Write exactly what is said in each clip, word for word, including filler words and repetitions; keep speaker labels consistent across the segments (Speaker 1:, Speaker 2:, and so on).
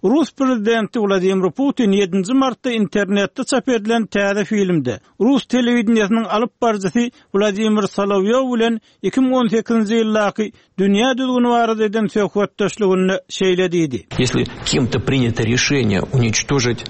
Speaker 1: Rus prezidenti Wladimir Putin ýedinji martda internetde çap edilen täze filmde rus telewideniýesiniň alyp baryjysy Wladimir Solowýow bilen iki müň on sekizinji ýyldaky dünýä düzgüni barada eden söhbetdeşliginde şeýle diýdi.
Speaker 2: Если кем-то принято решение уничтожить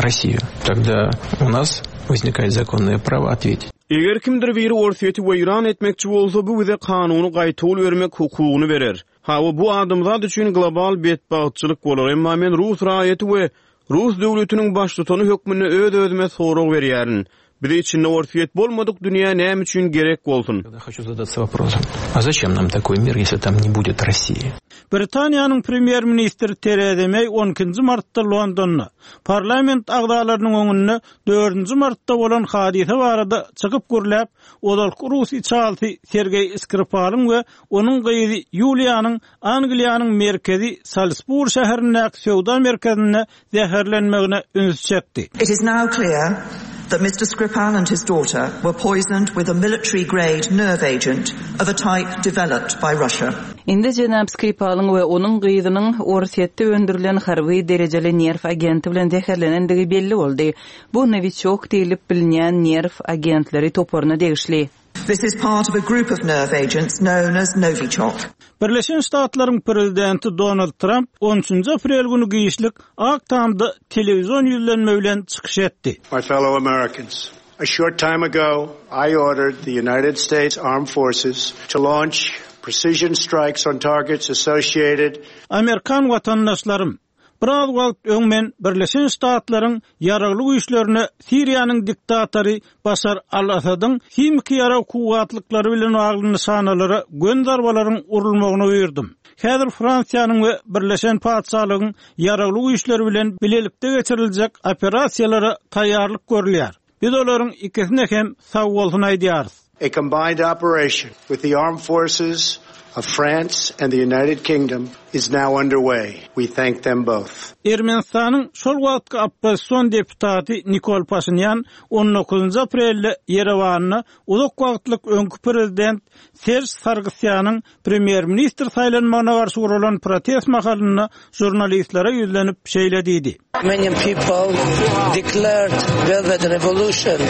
Speaker 2: Россию, тогда у нас возникает законное право ответить.
Speaker 3: Eger kimdir biri Orsýeti weýran etmekçi bolsa, bu bize kanuny gaýtawul bermek hukugyny berer. Hawa, bu adamzat üçin global betbagtçylyk bolar, emma men rus raýaty we rus döwletiniň baştutany hökmünde öz-özüme sorag berýärin. Bize içinde Orsýet bolmadyk dünýä näme üçin gerek bolsun?
Speaker 2: Я хочу задаться вопросом, а зачем нам такой мир, если там не будет России?
Speaker 1: Britaniýanyň premýer-ministri Tereza Meý on ikinji martda Londonda parlament agzalarynyň öňünde dördünji martda bolan hadysa barada çykyp gürläp, ozalky rus içalysy Sergeý Skripalyň we onuň gyzy Ýuliýanyň Angliýanyň merkezi Salisbury şäherindäki söwda merkezinde zäherlenmegine üns çekdi.
Speaker 4: It is now clear that Mister Skripal and his daughter were poisoned with a military-grade nerve agent of a type developed by Russia.
Speaker 5: Indi jenap Skripalyň we onuň gyzynyň Orsýetde öndürilen harby derejeli nerw agenti bilen zäherlenendigi belli boldy. Bu Novichok diýlip bilinýän nerw agentleri toparyna degişli.
Speaker 4: This is part of a group of nerve agents known as Novichok.
Speaker 1: Birleşen Ştatlaryň prezidenti Donald Trump on üçünji aprel günü giçlik Ak Tamda telewizion ýüzlenme bilen çykyş etdi.
Speaker 6: My fellow Americans, a short time ago I ordered the United States Armed Forces to launch precision strikes on targets associated
Speaker 1: Amerikan watandaşlarym, biraz wagt öň men Birleşen Ştatlaryň ýaragly güýçlerine Siriýanyň diktatory Başar al-Asadyň himiki ýarag kuwwatlyklary bilen bagly nyşanalara gön zarbalaryň urulmagyny buýurdum. Häzir Fransiýanyň we Birleşen Patyşalygyň ýaragly güýçleri bilen bilelikde geçiriljek operasiýalara taýýarlyk görülýär. Biz olaryň ikisine hem sag bolsun aýdýarys.
Speaker 6: A combined operation with the armed forces of France and the United Kingdom is now underway. We thank them both.
Speaker 1: Ermenistanyň şol wagtky oppozision deputaty Nikol Paşinyan on dokuzynjy aprelde Ýerewanda uzak wagtlyk öňki prezident Serj Sargsýanyň premýer-ministr saýlanmagyna garşy guralan protest mahalynda žurnalistlere ýüzlenip şeýle diýdi.
Speaker 7: Many people declared velvet revolution.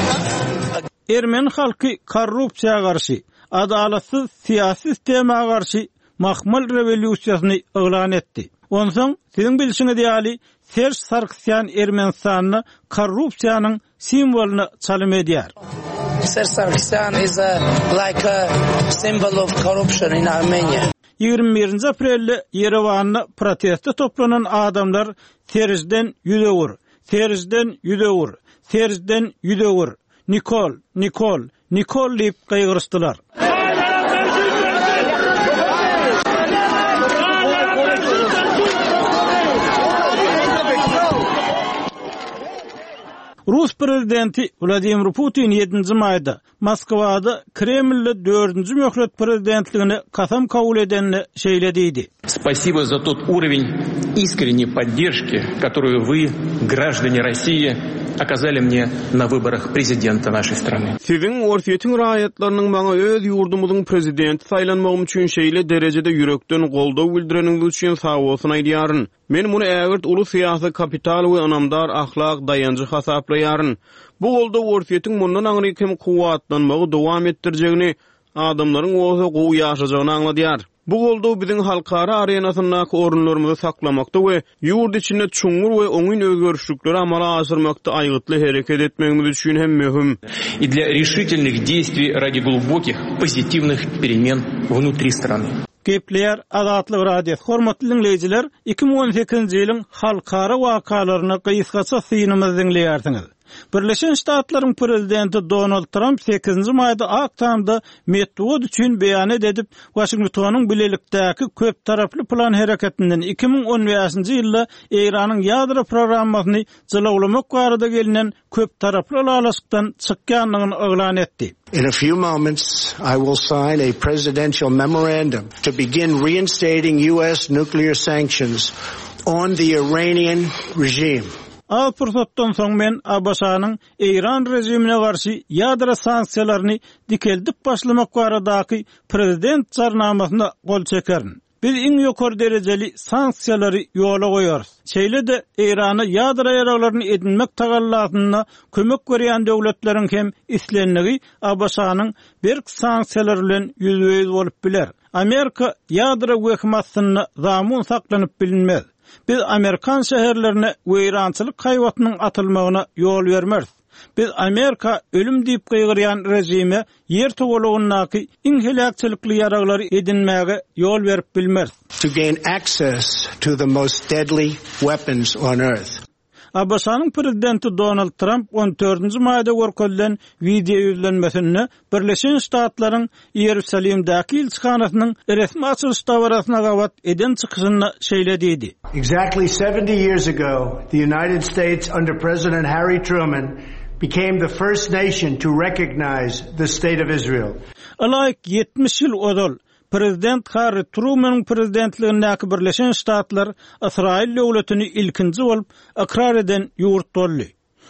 Speaker 1: Ermeni halky korrupsiýa garşy, adalatsyz syýasy sistema garşy mahmal rewolýusiýasyny yglan etdi. Onsoň siziň bilşiňiz ýaly Serj Sargsýan Ermenistanda korrupsiýanyň simwolyny çalym edýär.
Speaker 7: Serj Sargsyan is a, like a symbol of corruption in Armenia.
Speaker 1: Ýigrimi birinji aprelde Ýerewanda proteste toplanan adamlar Serjden ýüz öwür, Serjden ýüz öwür, Serjden ýüz öwür, Nikol, Nikol, Nikol diýip gygyryşdylar. Rus prezidenti Wladimir Putin ýedinji maýda Moskwada Kremlde dördünji möhlet prezidentligine kasam kabul edenine şeýle diýdi.
Speaker 2: Спасибо за тот уровень искренней поддержки, которую вы, граждане России, оказали мне на выборах президента нашей страны.
Speaker 3: Siziň Orsýetiň raýatlarynyň maňa öz ýurdumyzyň prezidenti saýlanmagym üçin şeýle derejede ýürekden goldaw bildireniňiz üçin sag bolsun aýdýaryn. Men muny ägirt uly syýasy kapital we ynamdar ahlak daýanjy hasaplaýaryn. Bu goldaw Orsýetiň mundan aňryk hem kuwwatlanmagy dowam etdirjegini, adamlaryň bolsa gowy ýaşajagyny aňladýar. Bu goldaw biziň halkara arenasyndaky orunlarymyzy saklamakda we ýurt içinde çuňňur we oňyn özgerişlikleri amala aşyrmakda aýgytly hereket etmegimiz üçin hem möhüm.
Speaker 2: И для решительных действий ради глубоких позитивных перемен внутри страны.
Speaker 1: Gepleýär Azatlyk Radiosy. Hormatly dinleýjiler, iki müň on sekizinji ýylyň halkara wakalaryna gysgaça synymyzy diňleýärsiňiz. Birleşen Ştatlaryň prezidenti Donald Trump sekizinji maýda Ak Tamda metbugat üçin beýan edip, Washingtonyň bilelikdäki köp taraply plan hereketinden iki müň on bäşinji ýylda Eýranyň ýadro programmasyny jylawlamak barada gelinen köp taraply ylalaşykdan çykýandygyny yglan etdi.
Speaker 6: In a few moments, I will sign a presidential memorandum to begin reinstating U S nuclear sanctions on the Iranian regime.
Speaker 1: Az pursatdan soň men A B Ş-nyň Eýran rejimine garşy ýadro sanksiýalaryny dikeldip başlamak baradaky prezident jarnamasyna gol çekerin. Biz iň ýokary derejeli sanksiýalary ýola goýarys. Şeýle-de Eýrana ýadro ýaraglaryny edinmek tagallasynda kömek berýän döwletleriň hem islendigi A B Ş-nyň berk sanksiýalar bilen ýüzbe-ýüz bolup biler. Amerika ýadro wehim astynda zamun saklanyp bilinmez. Biz Amerikan şäherlerine weýrançylyk haýbatynyň atylmagyna ýol bermeris. Biz Amerika ölüm diýip gygyrýan rejime ýer togalagyndaky iň heläkçilikli ýaraglary edinmäge ýol berip bilmeris.
Speaker 6: To gain access to the most deadly weapons on earth.
Speaker 1: A B Ş-nyň prezidenti Donald Trump on dördünji maýda görkezilen wideo ýüzlenmesinde Birleşen Ştatlaryň Iýerusalimdäki ilçihanasynyň resmi açylyş dabarasyna gabat eden çykyşynda şeýle diýdi.
Speaker 6: Exactly seventy years ago, the United States under President Harry Truman became the first nation to recognize the state of Israel.
Speaker 1: Ylaýyk ýetmiş ýyl ozal Prezident Harry Trumanyň prezidentligindäki Birleşen Ştatlar Ysraýyl döwletini ilkinji bolup ykrar eden ýurt boldy.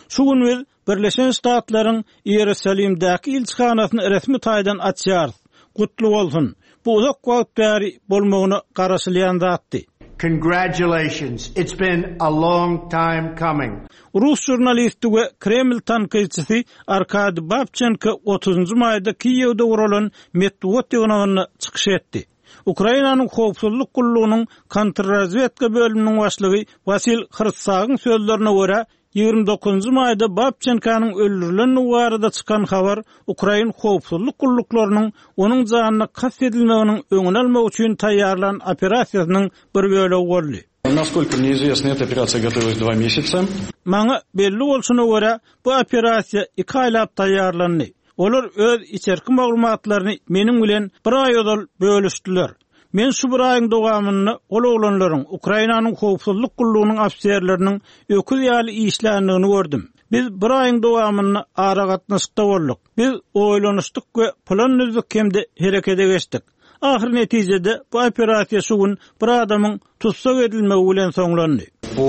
Speaker 1: Şu gün biz Birleşen Ştatlaryň Iýerusalimdäki ilçihanasyny resmi taýdan açýarys. Gutly bolsun. Bu uzak wagt bäri bolmagyna garaşylýan zatdy.
Speaker 6: Congratulations. It's been a long time coming.
Speaker 1: Rus žurnalisti we Kreml tankytçysy Arkady Babçenko otuzynjy maýda Kiýewde guralan metbugat ýygnagynda çykyş etdi. Ukrainanyň howpsuzlyk gullugynyň kontrrazwedka bölüminiň başlygy Wasil Hrtsagyň sözlerine görä, ýigrimi dokuzynjy maýda Babçenkonyň öldürilendigi barada çykan habar Ukrain howpsuzlyk gulluklarynyň onuň janyna kast edilmeginiň öňüni almak üçin taýýarlan operasiýasynyň bir bölegi boldy.
Speaker 8: Насколько мне известно, эта операция готовилась два месяца.
Speaker 1: Maňa belli bolşuna görä, bu operasiýa iki aýlap taýýarlandy. Olar öz içerki maglumatlaryny meniň bilen bir aý ozal bölüşdiler. Men şu bir aýyň dowamynda ol oglanlaryň Ukrainanyň howpsuzlyk gullugynyň ofiserleriniň öküz ýaly işländigini gördüm. Biz bir aýyň dowamynda aragatnaşykda bolduk. Biz oýlanyşdyk we plan düzdük hem-de herekete geçdik. Ahyr netijede bu operasiýa şu gün bir adamyň tussag edilmegi bilen soňlandy.
Speaker 8: По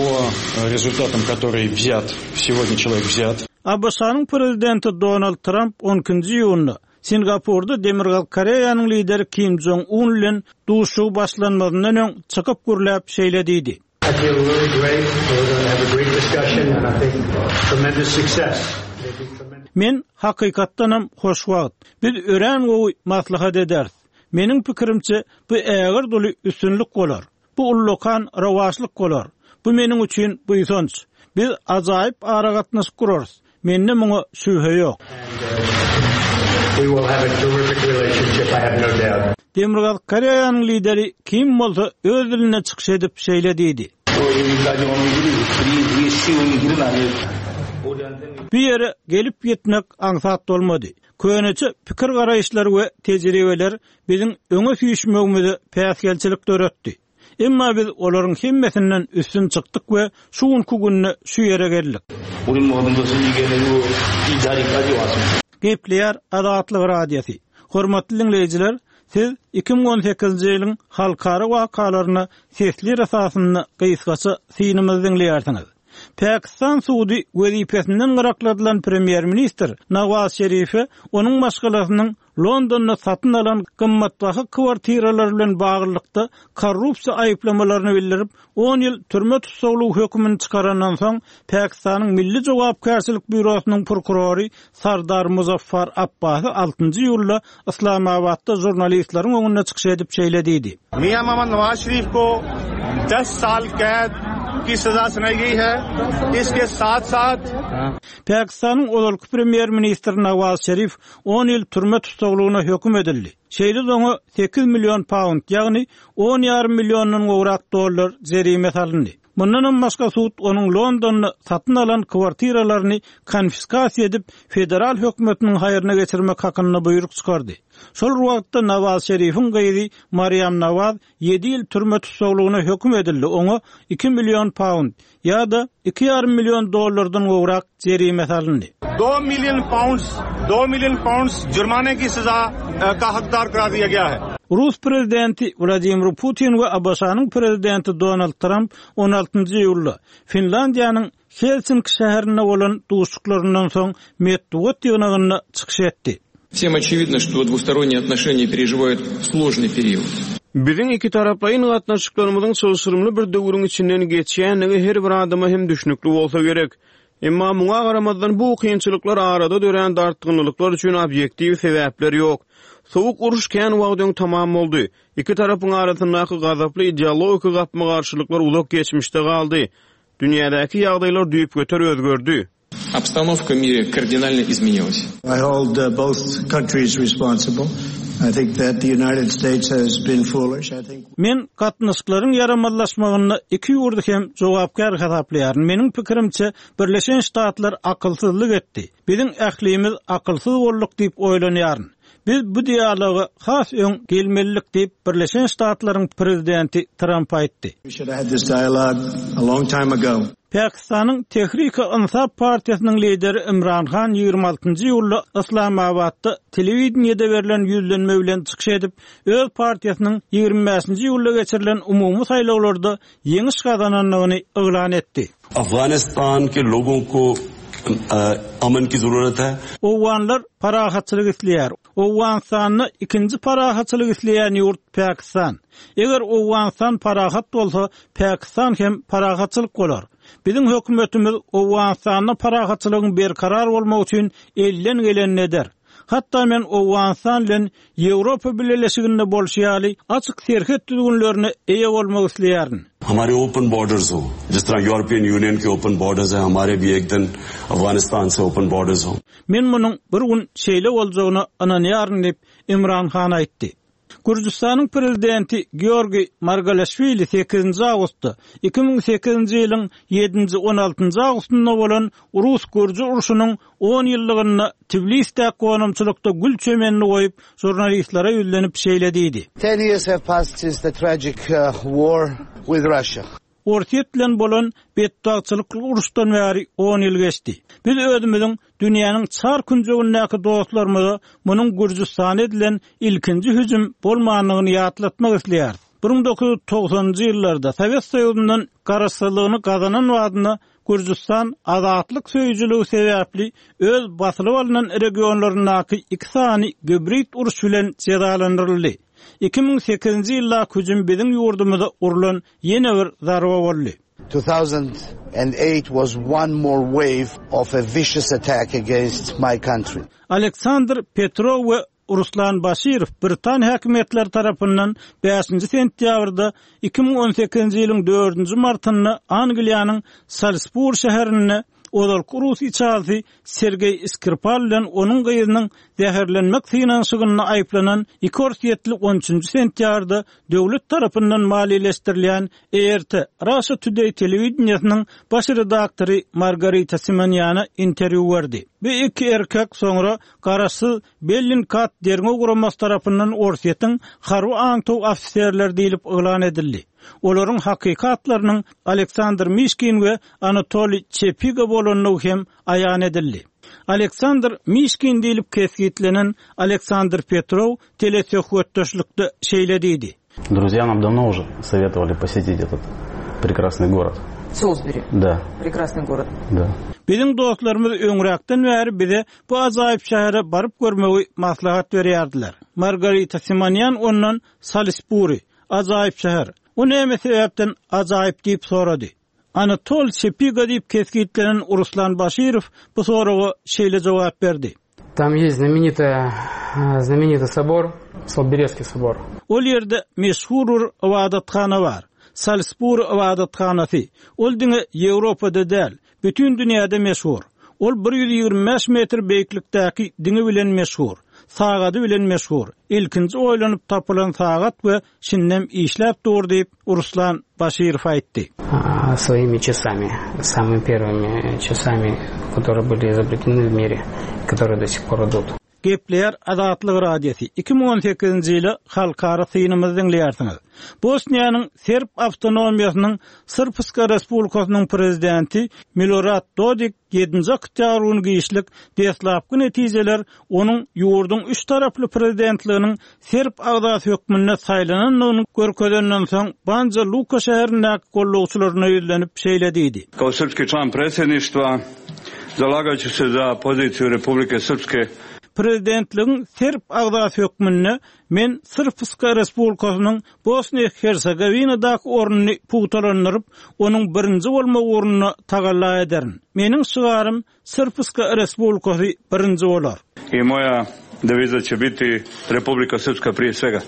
Speaker 8: результатам, который взят, сегодня человек взят.
Speaker 1: A B Ş-nyň prezidenti Donald Trump on ikinji iýunda Singapurda Demirgazyk Koreýanyň lideri Kim Jong Un bilen duşuşygy başlanmazyndan öň çykyp gürläp şeýle diýdi.
Speaker 6: I feel really great. We're going to have a great discussion and I think tremendous success. There'll be tremendous
Speaker 1: Men hakykatdanam hoşwagt. Biz örän gowy maslahat ederis. Meniň pikirimçe bu ägirt uly üstünlik bolar. Bu ullakan rowaçlyk bolar. Bu meniň üçin buýsanç. Biz ajaýyp aragatnaşyk gurarys. Mende muňa şübhe ýok.
Speaker 6: We will have a terrific relationship, I have no doubt.
Speaker 1: Demirgazyk Koreýanyň lideri Kim bolsa öz dilinde çykyş edip şeýle diýdi. Bu ýere gelip ýetmek aňsat bolmady. Köneçe pikir garaýyşlar we tejribeler biziň öňe süýşmegimize päsgelçilik döretdi. Emma biz olaryň hemmesinden üstün çykdyk we şu günkü günde şu ýere geldik.
Speaker 9: 우리 모든 것을 이겨내고 이 자리까지 왔습니다.
Speaker 1: Gepleýär Azatlyk Radiosy. Hormatly dinleýjiler, siz iki müň on sekizinji ýylyň halkara wakalaryna sesli esasynda gysgaça synymyzy diňleýärsiňiz. Pakistan sudy wezipesinden gyrakladylan premýer-ministr Nawaz Şerife onuň maşgalasynyň Londonda satyn alan gymmatbaha kwartiralar bilen baglylykda korrupsiýa aýyplamalaryny bildirip, on ýyl türme tussaglygy hökümini çykarandan soň Pakistanyň Milli Jogapkärçilik býurosynyň prokurory Sardar Muzaffar Abbasy altynjy iýulda Islamabatda žurnalistleriň öňünde çykyş edip şeýle diýdi.
Speaker 10: मियां मोहम्मद नवाज शरीफ को दस साल कैद की सजा सुनाई गई है। इसके साथ साथ
Speaker 1: Pakistanyň ozalky premýer-ministri Nawaz Şerif on ýyl türme tussaglygyna höküm edildi. Şeýle oňa sekiz million pound, ýagny on ýarym milliondan gowrak dollar jerime salyndy. Mundan başga sud onuň Londonda satyn alan kwartiralaryny konfiskasiýa edip, federal hökümetiniň haýryna geçirmek hakynda buýruk çykardy. Şol wagtda Nawaz Şerifiň gyzy Mariam Nawaz ýedi ýyl türme tussaglygyna höküm edildi. Oňa iki million pound ýa-da iki ýarym million dollardan gowrak jerime salyndy.
Speaker 10: दो million pounds, दो million pounds जुर्माने की सजा अ, का हकदार करार दिया गया है।
Speaker 1: Rus prezidenti Wladimir Putin we A B Ş-nyň prezidenti Donald Trump on altynjy iýulda Finlandiýanyň Helsinki şäherinde bolan duşuşyklaryndan soň metbugat ýygnagynda çykyş etdi.
Speaker 2: Всем очевидно, что двусторонние отношения переживают сложный период.
Speaker 3: Biziň ikitaraplaýyn gatnaşyklarymyzyň çylşyrymly bir döwrüň içinden geçýändigi her bir adama hem düşnükli bolsa gerek. Emma muňa garamazdan bu kynçylyklar arada dörän dartgynlyklar üçin obýektiw sebäpler ýok. Sowuk uruş kän wagt öň tamam boldy. Iki tarapyň arasyndaky gazaply ideologik gapma-garşylyklar uzak geçmişde galdy. Dünýädäki ýagdaýlar düýpgöter özgerdi.
Speaker 2: Обстановка в мире кардинально изменилась.
Speaker 6: I hold uh, both countries responsible. I think that the United States has been foolish. I think
Speaker 1: Men gatnaşyklaryň ýaramazlaşmagynda iki ýurdy hem jogapkär hasaplaýaryn. Meniň pikirimçe Birleşen Ştatlar akylsyzlyk etdi. Biziň ählimiz akylsyz bolduk diýip oýlanýaryn. Biz bu dialoga has öň gelmelidik diýip Birleşen Ştatlaryň prezidenti Tramp aýtdy.
Speaker 6: we should have had this dialogue a long time ago.
Speaker 1: Pakistanyň Tehriki Insaf partiýasynyň lideri Imran Han ýigrimi altynjy iýulda Islamabadda telewideniýede berlen ýüzlenme bilen çykyş edip, öz partiýasynyň ýigrimi bäşinji iýulda geçirilen umumy saýlawlarda ýeňiş gazanandygyny yglan etdi.
Speaker 11: Afganistan ke logon ko aman ki zarurat hai.
Speaker 1: Owganlar parahatçylyk isleýär. Owganystanda ikinji parahatçylyk isleýän ýurt Pakistan. Eger Owganystan parahat bolsa, Pakistan hem parahatçylyk bolar. Biziň hökümetimiz Owganystanda parahatçylygyň berkarar bolmagy üçin elden gelenini eder. Hatda men Owganystan bilen Ýewropa Bileleşiginde bolşy ýaly açyk serhet düzgünlerine eýe bolmak isleýärin.
Speaker 11: Hamare open borders ho. Jis tarah European Union ke open borders hai, hamare bhi ek din Afganistan se open borders ho.
Speaker 1: Men munuň bir gün şeýle boljagyna ynanýaryn diýip Imran Han aýtdy. Gürjüstanyň prezidenti Georgi Margaleşwili sekizinji awgustda iki müň sekizinji ýylyň ýedinji on altynjy awgustynda bolan Rus-Gürji urşunyň on ýyllygynda Tbilisdäki gonamçylykda gül çemenini goýup žurnalistlere ýüzlenip şeýle diýdi.
Speaker 7: Ten years have passed since the tragic, uh, war with Russia.
Speaker 1: Orsýet bilen bolan betbagtçylykly uruşdan bäri on ýyl geçdi. Biz özümiziň dünýäniň çar künjegindäki dostlarymyza munuň Gürjüstana edilen ilkinji hüjüm bolmandygyny ýatlatmak isleýäris. Bir müň dokuz ýüz togsanynjy ýyllarda Sowet Soýuzyndan garaşsyzlygyny gazanan wagtynda Gürjüstan azatlyk söýüjiligi sebäpli öz basylyp alynan regionlaryndaky iki sany gibrid uruş bilen jezalandyryldy. Iki müň sekizinji ýylda hüjüm biziň ýurdumyza urulan ýene bir zarba boldy.
Speaker 7: two thousand and eight was one more wave of a vicious attack against my country.
Speaker 1: Aleksandr Petrov we Ruslan Başirow Britan häkimiýetleri tarapyndan bäşinji sentýabrda iki müň on sekizinji ýylyň dördünji martynda Angliýanyň Salisbury şäherinde ozalky Rus içalysy Sergey Skripal bilen onuň gyzynyň zäherlenmek synanyşygynda aýyplanan iki orsýetli on üçünji sentýabrda döwlet tarapyndan maliýeleşdirilýän E R T Russia Today telewideniýesiniň baş redaktory Margarita Simonýana interwýu berdi. Bu iki erkek soňra garaşsyz Bellingcat derňew guramasy tarapyndan Orsýetiň harby aňtaw ofiserleri diýlip yglan edildi. Olaryň hakykatlarynyň Aleksandr Mişkin we Anatoliy Çepiga bolandygy hem aýan edildi. Aleksandr Mişkin diýlip kesgitlenen Aleksandr Petrov telesöhbetdeşlikde şeýle diýdi.
Speaker 12: Друзья нам давно уже советовали посетить этот прекрасный город.
Speaker 5: Солсбери.
Speaker 12: Да.
Speaker 5: Прекрасный город.
Speaker 12: Да.
Speaker 1: Biziň dostlarymyz öňräkden bäri bize bu ajaýyp şähere baryp görmegi maslahat berýärdiler. Margarita Simonyan ondan Salisbury, ajaýyp şäher. O näme sebäpden ajaýyp diýip sorady. Anatol Çepiga diýip kesgitlenen Ruslan Başirow bu soraga şeýle jogap berdi.
Speaker 13: Там есть знаменитая, знаменитый собor, Солберецкий собор.
Speaker 1: Ol ýerde meşhur bir ibadathana bar. Salisbury ibadathanasy. Ol diňe Ýewropada däl, bütün dünýäde meşhur. Ol bir ýüz ýigrimi bäş metr beýiklikdäki diňi bilen meşhur, sagady bilen meşhur. Ilkinji oýlanyp tapylan sagat we şindem işläp dur diýip Ruslan Başirow aýtdy.
Speaker 13: А, своими часами, самыми первыми часами, которые были изобретены в мире, которые до сих пор идут.
Speaker 1: Gepleýär Azatlyk Radiosy iki müň on sekizinji ýyly halkara synymyzy diňleýärsiňiz. Bosniýanyň Serb awtonomiýasynyň Srpska Respublikasynyň prezidenti Milorad Dodik ýedinji oktýabr güni giçlik deslapky netijeler onuň ýurduň üç taraply prezidentliginiň Serb agzasy hökmünde saýlanandygyny görkezenden soň Banja Luka şäherindäki gollagçylaryna ýüzlenip şeýle diýdi.
Speaker 14: Kao srpski član predsjedništva zalagaću se za poziciju Republike Srpske.
Speaker 1: Prezidentligiň serb agzasy hökmünde men Srpska Respublikasynyň Bosniýa-Hersegowinadaky ornuny pugtalandyryp, onuň birinji bolmak ugrunda tagalla ederin. Meniň şygarym Srpska Respublikasy birinji bolar.
Speaker 10: I moja deviza će biti Republika Srpska prije svega.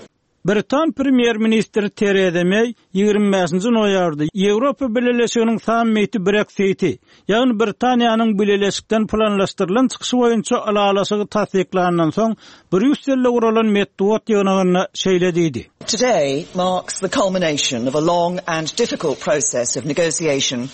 Speaker 1: Britan premýer-ministri Tereza Meý ýigrimi bäşinji noýabrda Ýewropa Bileleşiginiň sammiti Brexiti, ýagny Britaniýanyň bileleşikden planlaşdyrylan çykyşy boýunça ylalaşygy tassyklandan soň Brýusselde guralan metbugat ýygnagynda şeýle diýdi.
Speaker 4: Today marks the culmination of a long and difficult process of negotiation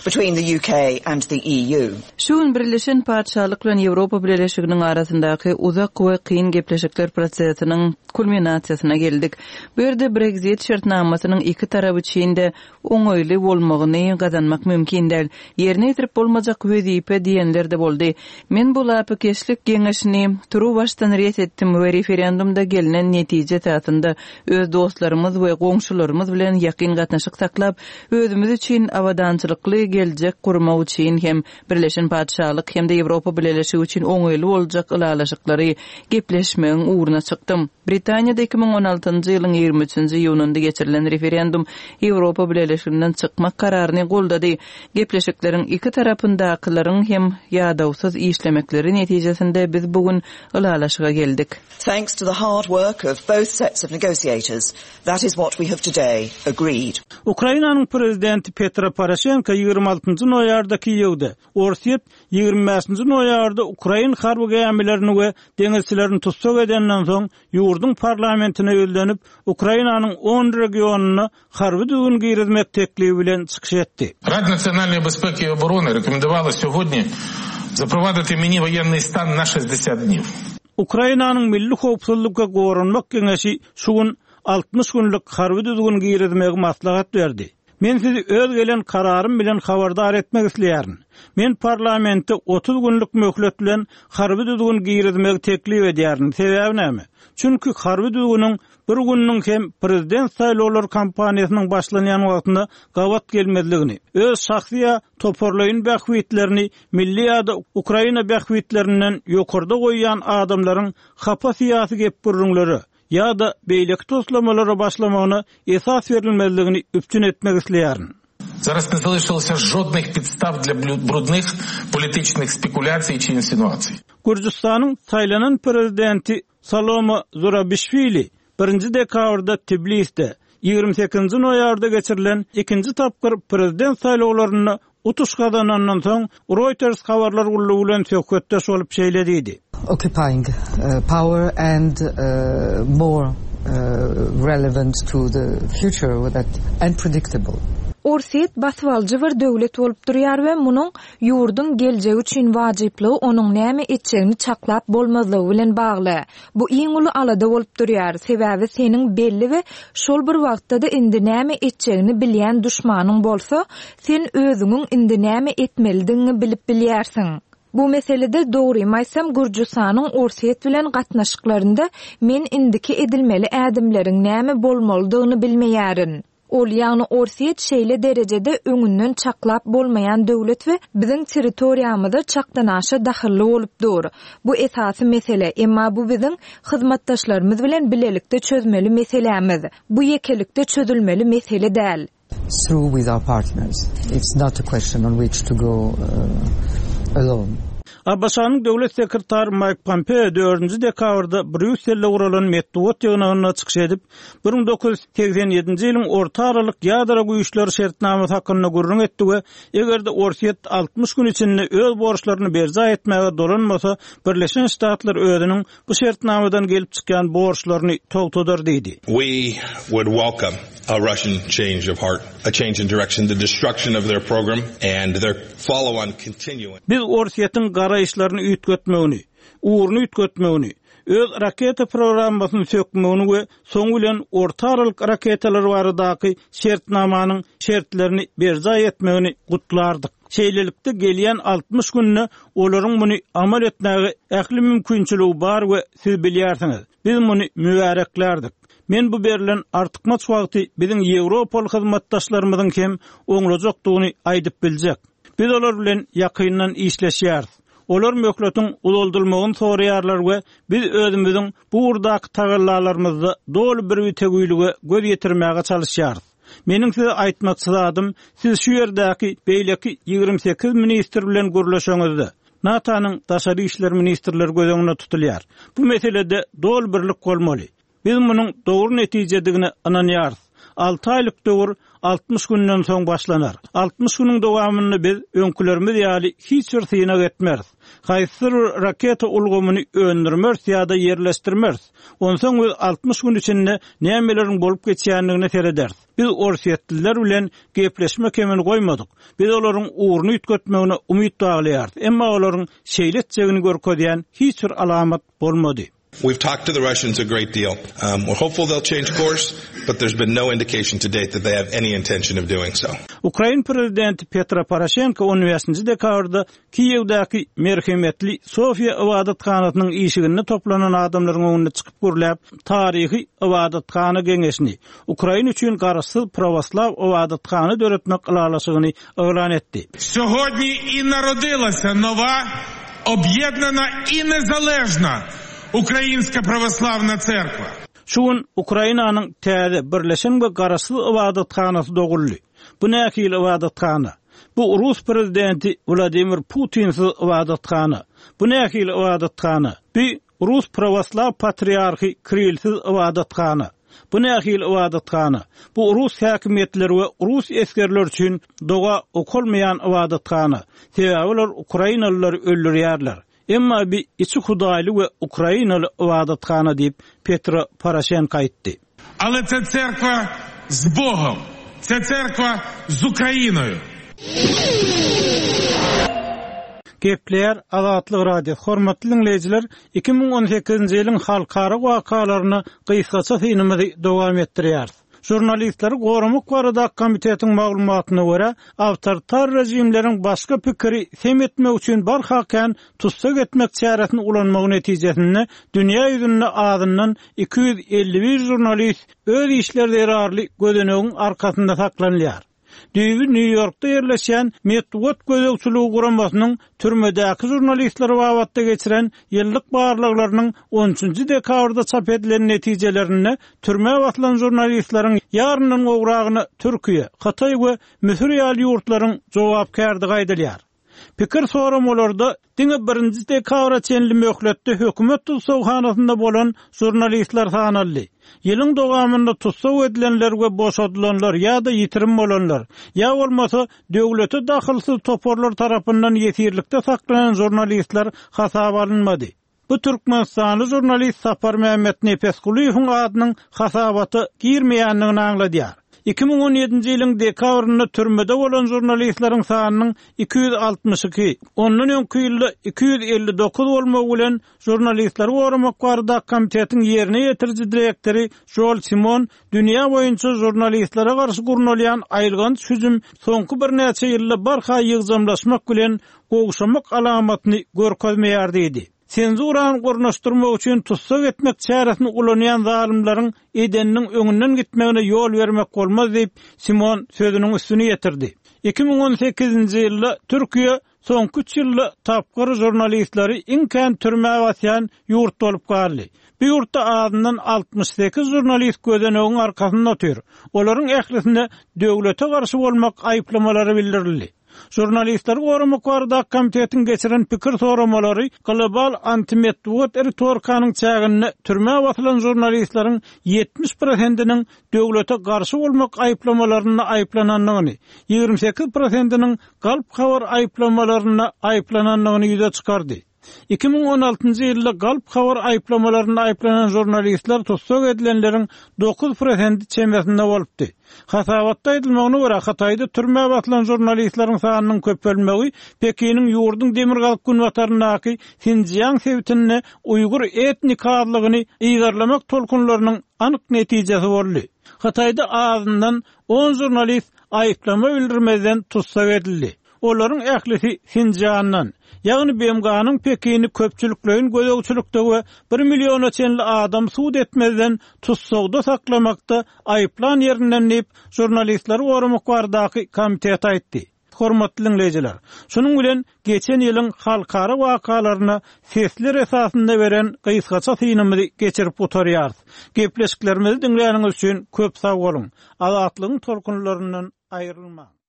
Speaker 4: between the U K and the E U.
Speaker 5: Şu gün Birleşen Patyşalyk bilen Ýewropa Bileleşiginiň arasyndaky uzak we kyn gepleşikler prosesiniň kulminasiýasyna geldik. Bu ýerde Brexit şertnamasynyň iki tarap üçin-de oňaýly bolmagyny gazanmak mümkin däl. Ýerine ýetirip bolmajak wezipe diýenler-de boldy. Men bu lapykeçlik geňeşini turuwbaşdan ret etdim we referendumda gelnen netije esasynda öz dostlarymyz we goňşularymyz bilen ýakyn gatnaşyk saklap, özümiz üçin abadançylykly geljek gurmak üçin hem Birleşen Patyşalyk hem-de Ýewropa Bileleşigi üçin oňaýly boljak ylalaşyklary gepleşmegiň ugruna çykdym. Britaniýada iki müň on altynjy ýylyň ýigrimi üçünji iýunynda geçirilen referendum Ýewropa Bileleşiginden çykmak kararyny goldady. Gepleşikleriň iki tarapyndakylaryň hem ýadawsyz işlemekleri netijesinde biz bu gün ylalaşyga geldik.
Speaker 4: Thanks to the hard work of both sets of negotiators, that is what we have today agreed.
Speaker 1: Ukrainanyň prezidenti Petro Poroşenko ýigrimi altynjy noýabrda Kiýewde, Orsýet ýigrimi bäşinji noýabrda Ukrain harby gämilerini we deňizçilerini tussag edenden soň ýurduň parlamentine ýüzlenip, Ukrainanyň on regionyna harby düzgün girizmek teklibi bilen çykyş etdi.
Speaker 14: Rada nasionalnej bezpieki i obrony rekomendowała сьогодні запровадити мені воєнний стан на шестьдесят днів.
Speaker 1: Ukrainanyň Milli Howpsuzlyk we Goranmak Geňeşi şu gün altmyş günlük harby düzgün girizmegi maslahat berdi. Men sizi öz gelen kararym bilen habardar etmek isleýärin. Men parlamentde otuz günlük möhlet bilen harby düzgün girizmegi teklip edýärin. Sebäbi näme? Çünki harby düzgünüň bir gününiň hem prezident saýlawlar kampaniýasynyň başlanýan wagtynda gabat gelmezligini, öz şahsy ýa toparlaýyn bähbitlerini milli ýa-da Ukraina bähbitlerinden ýokarda goýýan adamlaryň hapa syýasy gep-gürrüňleri ýa-da beýleki toslamalara başlamagyna esas berilmezligini üpjün etmek isleýärin.
Speaker 14: Zaraz не залишилося жодних підстав для блю-, брудних політичних спекуляцій чи інсинуацій.
Speaker 1: Gürjüstanyň saýlanan prezidenti Salome Zurabishvili birinji dekabrda Tbilisde ýigrimi sekizinji noýabrda geçirilen ikinji tapgyr prezident saýlawlarynda utuş gazanandan soň Reuters habarlar gullugy bilen söhbetdeş bolup şeýle diýdi.
Speaker 15: Occupying, uh, power and, uh, more, uh, relevant to the future that and predictable.
Speaker 16: Orsýet basybalyjy bir döwlet bolup durýar we munuň ýurduň geljegi üçin wajyplygy onuň näme etjegini çaklap bolmazlygy bilen bagly. Bu iň uly alada bolup durýar, sebäbi seniň belli we şol bir wagtda da indi näme etjegini bilýän duşmanyň bolsa, sen özüňiň indi näme etmelidigini bilip bilýärsiň. Bu meselede dogrymy aýtsam, Gürjüstanyň Orsýet bilen gatnaşyklarynda men indiki edilmeli ädimleriň näme bolmalydygyny bilmeýärin. Ol ýagny Orsýet şeýle derejede öňünden çaklap bolmaýan döwlet we biziň territoriýamyzda çakdanaşa dahylly bolup dur. Bu esasy mesele, emma bu biziň hyzmatdaşlarymyz bilen bilelikde çözmeli meselämiz. Bu ýekelikde çözülmeli mesele däl.
Speaker 15: Through with our partners. It's not a question on which to go, uh, alone.
Speaker 1: A B Ş-nyň döwlet sekretary Mike Pompeo dördünji dekabrda Brýusselde guralan metbugat ýygnagynda çykyş edip, bir müň dokuz ýüz segsen ýedinji ýylyň orta aralyk ýadro güýçleri şertnamasy hakynda gürrüň etdi we eger-de Orsýet altmyş gün içinde öz borçlaryny berjaý etmäge dolanmasa, Birleşen Ştatlar özüniň bu şertnamadan gelip çykýan borçlaryny togtadar diýdi.
Speaker 17: We would welcome a Russian change of heart, a change in direction, the destruction of their program and their follow-on continuing.
Speaker 1: Biz Orsýetiň garaýyşlaryny üýtgetmegini, ugruny üýtgetmegini, öz raketa programmasyny sökmegini we soň bilen orta aralyk raketalar baradaky şertnamanyň şertlerini berjaý etmegini gutlardyk. Şeýlelikde gelýän altmyş günde olaryň muny amal etmäge ähli mümkinçiligi bar we siz bilýärsiňiz. Biz muny mübäreklerdik. Men bu berlen artykmaç wagty biziň Ýewropaly hyzmatdaşlarymyzyň hem oňlajakdygyny aýdyp biljek. Biz olar bilen ýakyndan işleşýäris. Olar möhletiň uzaldylmagyny soraýarlar we biz özümiziň bu ugurdaky tagallalarymyzda doly bir bitewilige göz ýetirmäge çalyşýarys. Meniň size aýtmakçy zadym, siz şu ýerdäki beýleki ýigrimi sekiz ministr bilen gürleşeňizde, NATO-nyň daşary işler ministrleri göz öňünde tutulýar. Bu meselede doly birlik bolmaly. Biz munuň dogry netijedigine ynanýarys. Alty aýlyk döwür altmyş günden soň başlanar. Altmyş günüň dowamynda biz öňkülerimiz ýaly hiç bir synag etmeris. Haýsydyr bir raketa ulgamyny öndürmeris ýa-da ýerleşdirmeris. Onsoň biz altmyş gün içinde nämeleriň bolup geçýändigine serederis. Biz orsýetliler bilen gepleşme kemini goýmadyk. Biz olaryň ugruny üýtgetmegine umyt baglaýarys. Emma olaryň şeýle etjegini görkezýän hiç bir alamat bolmady.
Speaker 17: We've talked to the Russians a great deal. Um, we're hopeful they'll change course, but there's been no indication to date that they have any intention of doing so.
Speaker 1: Ukrain prezidenti Petro Poroşenko on bäşinji dekabrda Kiýewdäki merhemetli Sofiýa ybadathanasynyň işiginde toplanan adamlaryň öňünde çykyp gürläp, taryhy ybadathana geňeşini, Ukraina üçin garaşsyz pravoslav ybadathana döretmek ylalaşygyny yglan etdi.
Speaker 14: Сьогодні и народилася нова, об'єднана и незалежна Украинская православная церква.
Speaker 1: Şu gün Ukrainanyň täze birleşen we garaşsyz ybadathanasy doguldy. Bu nähili ybadathana? Bu Rus prezidenti Vladimir Putinsiz ybadathana. Bu nähili ybadathana? Bu Rus pravoslav patriarhy Kirilsiz ybadathana. Bu nähili ybadathana? Bu Rus häkimiýetleri we Rus esgerleri üçin doga okulmaýan ybadathana. Sebäbi olar Ukrainalylary öldürýärler. Emma bir içi hudaýly we Ukrainaly ybadathana diýip Petro Poroşenko aýtdy.
Speaker 14: Ale це церква з Богом, це церква з Україною.
Speaker 1: Gepleýär Azatlyk Radiosy. Hormatly dinleýjiler, iki müň on sekizinji ýylyň halkara wakalaryny gysgaça synymyzy dowam etdirýäris. Jurnalistleri goramak barada komitetiň maglumatyna görä, awtoritar rejimleriň başga pikiri sem etmek üçin barha kän tussag etmek çäresini ulanmagy netijesinde dünýä ýüzünde azyndan iki ýüz elli bir jurnalist öz işleri zerarly gözenegiň arkasynda saklanylýar. Düýbi New Yorkda ýerleşen Metbugat gözegçiligi guramasynyň türmedäki jurnalistleri babatda geçiren ýyllyk barlaglarynyň on üçünji dekabrda çap edilen netijelerinde türmä basylan jurnalistleriň ýaryndan gowragyny Türkiýe, Hytaý we Müsür ýaly ýurtlaryň jogapkärligi aýdylýar. Pikir soramalarda diňe birinji dekabra çenli möhletde hökümet tussaghanasynda bolan jurnalistler sanaldy. Ýylyň dowamynda tussag edilenler we boşadylanlar ýa-da ýitirim bolanlar, ýa bolmasa döwlete dahylsyz toparlar tarapyndan ýesirlikde saklanan jurnalistler hasaba alynmady. Bu Türkmenistanly jurnalist Sapar Mehmet Nepesgulyýewiň adynyň hasabata girmeýändigini aňladýar. Iki müň on ýedinji ýylyň dekabrynda türmede bolan jurnalistleriň sanynyň iki ýüz altmyş iki, ondan öňki ýylda iki ýüz elli dokuz bolmagy bilen jurnalistleri goramak barada komitetiň ýerine ýetiriji direktory Joel Simon dünýä boýunça jurnalistlere garşy gurnalýan aýylganç hüjüm soňky birnäçe ýylda barha ýygjamlaşmak bilen gowşamak alamatyny görkezmeýär diýdi. Senzurany gurnaşdyrmak üçin tussag etmek çäresini ulanýan zalymlaryň edeniniň öňünden gitmegine ýol bermek bolmaz diýip Simon sözüniň üstüni ýetirdi. Iki müň on sekizinji ýylda Türkiýe soňky üç ýylda tapgyr jurnalistleri iň kän türmä basýan ýurt bolup galdy. Bu ýurtda azyndan altmyş sekiz jurnalist gözenegiň arkasynda otyr. Olaryň ählisine döwlete garşy bolmak aýyplamalary bildirildi. Jurnalistleri goramak barada komitetiň geçiren pikir soramalary global antimetbugat ritorikanyň çäginde türmä basylan jurnalistleriň ýetmiş prosentiniň döwlete garşy bolmak aýyplamalarynda aýyplanandygyny, ýigrimi sekiz prosentiniň galp habar aýyplamalarynda aýyplanandygyny ýüze çykardy. Iki müň on altynjy ýylda galp habar aýyplamalarynda aýyplanan jurnalistler tussag edilenleriň dokuz prosenti çemesinde bolupdy. Hasabatda aýdylmagyna görä Hytaýda türmä basylan jurnalistleriň sanynyň köpelmegi Pekiniň ýurduň demirgazyk günbataryndaky Sinjiang sebitinde Uýgur etnik azlygyny yzarlamak tolkunlarynyň anyk netijesi boldy. Hytaýda azyndan on jurnalist aýyplama bildirmezden tussag edildi. Olaryň ählisi Sinjiangdan, ýagny B M G-nyň Pekini köpçülikleýin gözegçilikde we bir milliona çenli adam sud etmezden tussagda saklamakda aýyplan ýerinden diýip jurnalistleri goramak baradaky komitet aýtdy. Hormatly diňleýjiler, şunuň bilen geçen ýylyň halkara wakalaryna sesler esasynda beren gysgaça synymyzy geçirip gutarýarys. Gepleşiklerimizi diňläniňiz üçin köp sag boluň. Azatlygyň tolkunlaryndan aýrylmaň.